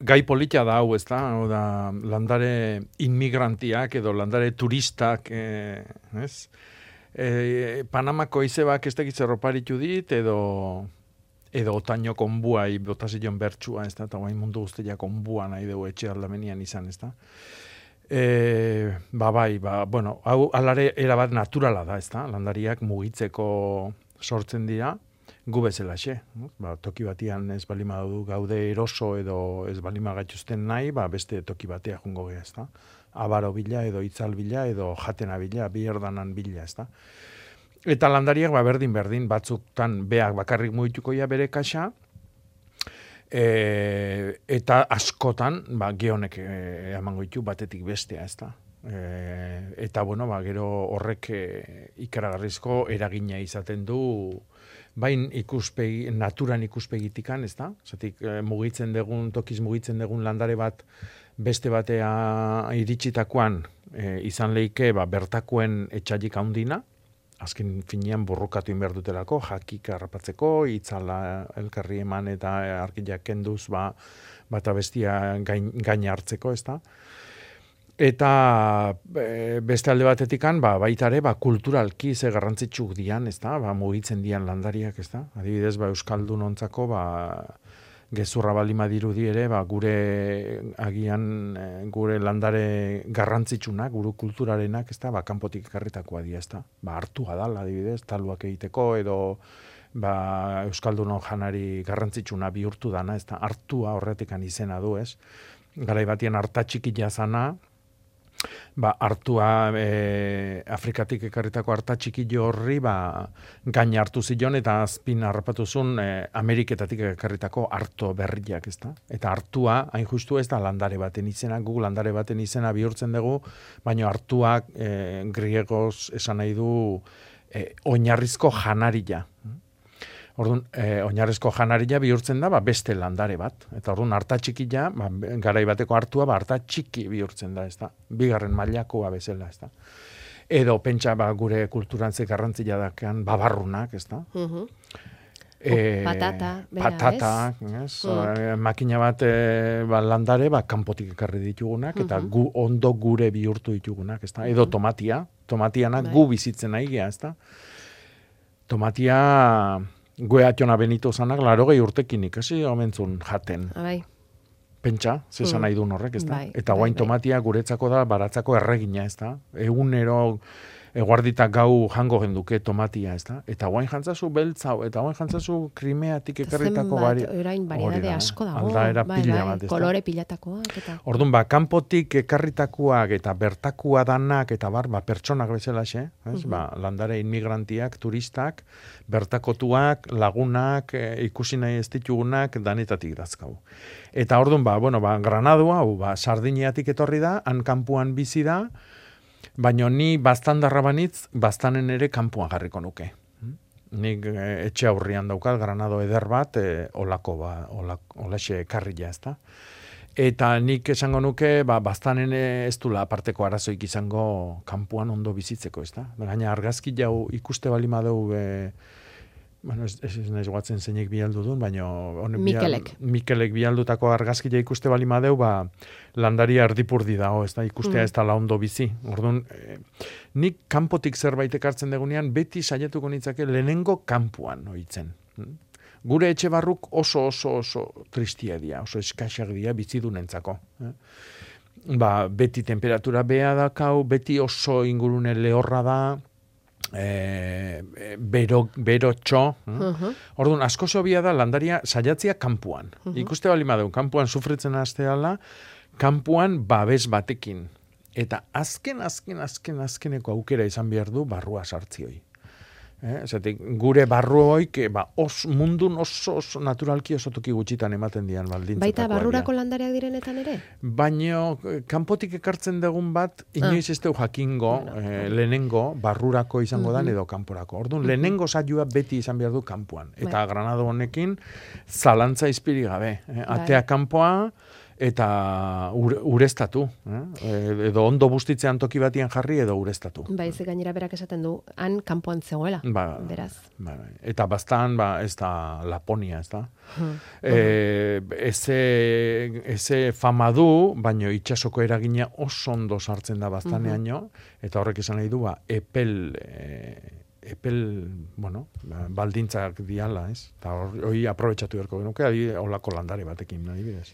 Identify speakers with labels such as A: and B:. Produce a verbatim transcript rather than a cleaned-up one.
A: gai polita da hau, ez da? Hau da, landare inmigrantiak edo landare turistak, eh, ez? E, Panamako izebak ez tekiz erroparitu dit, edo edo otaino konbuai botazion bertsua, ez da? Eta guain mundu guztia konbua nahi dugu etxe aldamenian izan, ez da? E, ba bai, ba, bueno, hau alare erabat naturala da, ez da? Landariak mugitzeko sortzen dira, gu bezalaxe. Ba, toki batian ez balima du gaude eroso edo ez balima gaituzten nahi, ba, beste toki batea jungo geha, ez da? Abaro bila edo itzal bila edo jatena bila, bi erdanan bila, ez da? Eta landariak ba, berdin-berdin, batzuktan beak bakarrik mugitukoia bere kaxa, e, eta askotan ba, geonek e, emango ditu batetik bestea, ez da? E, eta bueno, ba, gero horrek e, ikaragarrizko eragina izaten du bain ikuspegi, naturan ikuspegitikan, ez da? Zatik, e, mugitzen dugun, tokiz mugitzen dugun landare bat beste batea iritsitakoan e, izan leike ba, bertakoen etxailik handina, azken finean burrukatu inber dutelako, jakik harrapatzeko, itzala elkarri eman eta arkiak kenduz ba, bata bestia gain, gain hartzeko, ez da? Eta e, beste alde batetikan, ba, baita ere, ba, kulturalki ze garrantzitsuk dian, ez da? Ba, mugitzen dian landariak, ez da? Adibidez, ba, Euskaldun ontzako, ba, gezurra balima dirudi ere, ba, gure agian, e, gure landare garrantzitsunak, gure kulturarenak, ez da? Ba, kanpotik ekarritakoa dira, ez da? Ba, hartua dala, adibidez, taluak egiteko, edo ba, Euskaldunon janari garrantzitsuna bihurtu dana, ez da? Hartua horretikan izena du, ez? Garai batien harta txiki jazana, ba, hartua e, Afrikatik ekarritako harta txikillo horri ba, gaina hartu zion eta azpin harrapatu zuen e, Ameriketatik ekarritako harto berriak, ez da? Eta hartua, hain justu ez da landare baten izena, gu landare baten izena bihurtzen dugu, baina hartuak e, griegoz esan nahi du e, oinarrizko janaria. Orduan, eh, oinarrezko janaria bihurtzen da, ba, beste landare bat. Eta orduan, harta txikila, ba, garai bateko hartua, ba, harta txiki bihurtzen da, ez da. Bigarren mailakoa bezala, ez da. Edo, pentsa, ba, gure kulturan ze garrantzia dakean, babarrunak, ez da.
B: Uh-huh.
A: E,
B: patata, bera,
A: patata, ez? Uh-huh. Makina bat e, ba, landare, ba, kanpotik ekarri ditugunak, uh-huh. eta gu, ondo gure bihurtu ditugunak, ez da. Edo tomatia, tomatianak gu bizitzen nahi gea, ez da. Tomatia... Gue atxona Benito zanak, laro gehi urtekin ikasi omentzun jaten.
B: Abai.
A: Pentsa, zesan nahi duen horrek, ez da?
B: Bai,
A: eta
B: bai,
A: guain
B: bai.
A: tomatia guretzako da, baratzako erregina, ez da? Egunero, eguardita gau jango genduke tomatia, ez da? Eta guain jantzazu beltzau, eta guain jantzazu krimeatik ekarritako bari.
B: Zenbat, orain variedade asko dago.
A: Aldaera
B: bai,
A: pila
B: bai,
A: bat, ez da?
B: kolore pilatakoak, eta...
A: Orduan, ba, kanpotik ekarritakoak eta bertakua danak, eta bar, ba, pertsonak bezalaxe, ez? Uh-huh. Ba, landare inmigrantiak, turistak, bertakotuak, lagunak, e, ikusi nahi ez ditugunak, danetatik dazkau. Eta orduan, ba, bueno, ba, Granadu hau, ba, Sardiniatik etorri da, han kanpuan bizi da, baina ni baztandarra banitz, baztanen ere kanpuan jarriko nuke. Nik e, etxe aurrian daukat, Granado eder bat, e, olako, ba, olako, olaxe karrila, ez da. Eta nik esango nuke, ba, baztanen ez dula aparteko arazoik izango kanpuan ondo bizitzeko, ez da. Gaina argazki jau ikuste balima dugu, e, bueno, ez, ez, ez nahiz guatzen zeinek bialdu duen, baina...
B: Mikelek.
A: Bial, Mikelek bialdutako argazkia ikuste balima deu, ba, landaria erdipurdi dago, ez da, ikustea mm. ez da la ondo bizi. Orduan, eh, nik kanpotik zerbait ekartzen degunean, beti saiatuko nitzake lehenengo kanpuan oitzen. Gure etxe barruk oso oso oso tristia dira, oso eskaxak dira bizidunentzako. Eh? Ba, beti temperatura bea dakau, beti oso ingurune lehorra da, E, bero, bero txo. Uh-huh. Orduan, asko zobia da landaria saiatzia kanpuan. Uh-huh. Ikuste bali madeu, kanpuan sufritzen hasteala, kanpuan babes batekin. Eta azken, azken, azken, azkeneko aukera izan behar du barrua sartzioi. Eh? Zatik, gure barru hoik, ba, os, mundun oso, oso naturalki oso toki gutxitan ematen dian baldintzatakoa.
B: Baita barrurako landareak direnetan ere?
A: Baina, kanpotik ekartzen dugun bat, inoiz ah. ez deu jakingo, bueno, eh, lehenengo, barrurako izango uh-huh. dan edo kanporako. Orduan, uh-huh. lehenengo saioa beti izan behar du kanpoan. Eta bai. Granado honekin, zalantza izpiri gabe. Eh? Atea bai. Kanpoa, eta ure, ureztatu. Eh? Edo ondo bustitzean toki batian jarri edo ureztatu.
B: Baizik gainera berak esaten du, han kanpoan zegoela,
A: Ba,
B: beraz.
A: Ba, eta baztan, ba, ez da Laponia, ez da.
B: Hmm.
A: E, eze, eze fama du, baino itxasoko eragina oso ondo sartzen da baztaneaino, eta horrek esan nahi du, ba, epel... E, epel, bueno, ba, baldintzak diala, ez? Eta hori aprobetxatu beharko genuke, olako landare batekin, adibidez.